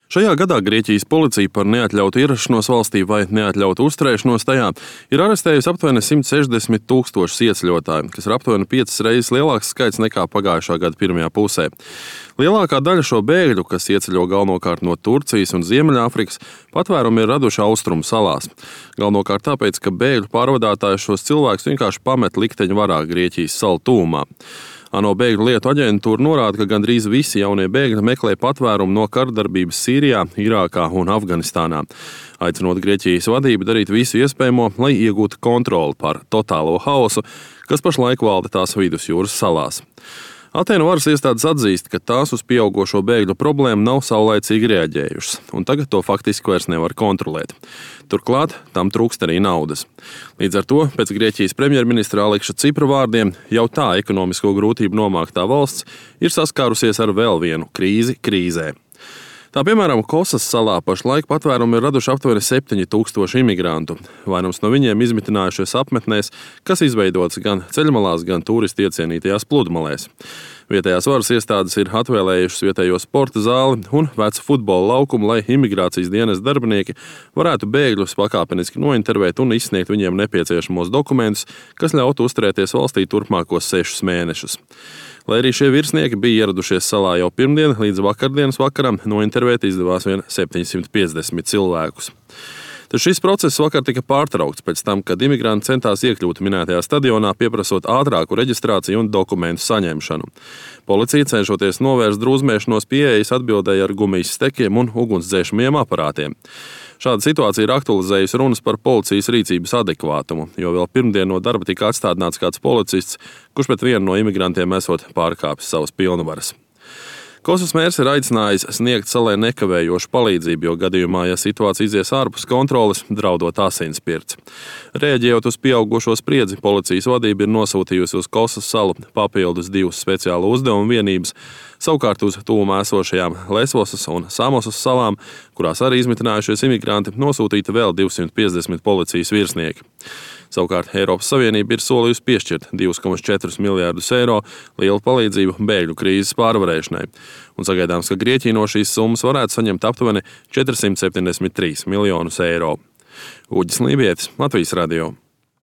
Šajā gadā Grieķijas policija par neatļautu ierašanos valstī vai neatļautu uzturēšanos tajā ir arestējusi aptuveni 160 000 ieceļotāju, kas ir aptuveni 5 reizes lielāks skaits nekā pagājušā gada pirmajā pusē. Lielākā daļa šo bēgļu, kas ieceļo galvenokārt no Turcijas un Ziemeļāfrikas, patvērumu ir raduši Austrumu salās. Galvenokārt tāpēc, ka bēgļu pārvadātāji šos cilvēkus vienkārši pamet likteņu varā Grieķijas salu tuvumā. ANO bēgļu lietu aģentūra norāda, ka gandrīz visi jaunie bēgļi meklē patvērumu no kardarbības Sīrijā, Irākā un Afganistānā, aicinot Grieķijas vadību darīt visu iespējamo, lai iegūtu kontroli pār totālo haosu, kas pašlaik valda tās vidusjūras salās. Atēnu varas iestādes atzīst, ka tās uz pieaugošo bēgļu problēmu nav saulaicīgi reaģējušas, un tagad to faktiski vairs nevar kontrolēt. Turklāt tam trūkst arī naudas. Līdz ar to, pēc Grieķijas premjerministra Aleksa Cipra vārdiem, jau tā ekonomisko grūtību nomāktā valsts ir saskārusies ar vēl vienu krīzi krīzē. Tā piemēram, Kosas salā pašlaik patvērumu ir raduši aptuveni 7000 imigrantu. Vairums no viņiem izmitinājušies apmetnēs, kas izveidotas gan ceļmalās, gan turistu iecienītajās pludmalēs. Vietējās varas iestādes ir atvēlējušas vietējo sporta zāli un vecu futbola laukumu, lai imigrācijas dienas darbinieki varētu bēgļus pakāpeniski nointervēt un izsniegt viņiem nepieciešamos dokumentus, kas ļautu uzturēties valstī turpmākos 6 mēnešus. Lai arī šie virsnieki bija ieradušies salā jau pirmdien, līdz vakardienas vakaram nointervēt izdevās vien 750 cilvēkus. Tad šis process vakar tika pārtraukts pēc tam, kad imigranti centās iekļūt minētajā stadionā, pieprasot ātrāku reģistrāciju un dokumentu saņemšanu. Policija, cenšoties novērst drūzmēšanos, pieejas atbildēja ar gumijas stekiem un ugunsdzēšamiem aparātiem. Šāda situācija ir aktualizējusi runas par policijas rīcības adekvātumu, jo vēl pirmdien no darba tika atstādināts kāds policists, kurš pret vienu no imigrantiem esot pārkāpis savas pilnvaras. Kosas mērs ir aicinājis sniegt salai nekavējošu palīdzību, jo gadījumā, ja situācija izies ārpus kontroles, draudot asinspirts. Rēģējot uz pieaugušo spriedzi, policijas vadība ir nosūtījusi uz Kosas salu papildus 2 speciālu uzdevumu vienības, savukārt uz tuvumā esošajām Lesvosas un Samosas salām, kurās arī izmitinājušies imigranti, nosūtīta vēl 250 policijas virsnieki. Savukārt Eiropas Savienība ir solījusi piešķirt 2,4 miljārdus eiro lielu palīdzību bēgļu krīzes pārvarēšanai, un sagaidāms, ka Grieķija no šīs summas varētu saņemt aptuveni 473 miljonus eiro. Uģis Lībietis, Latvijas radio.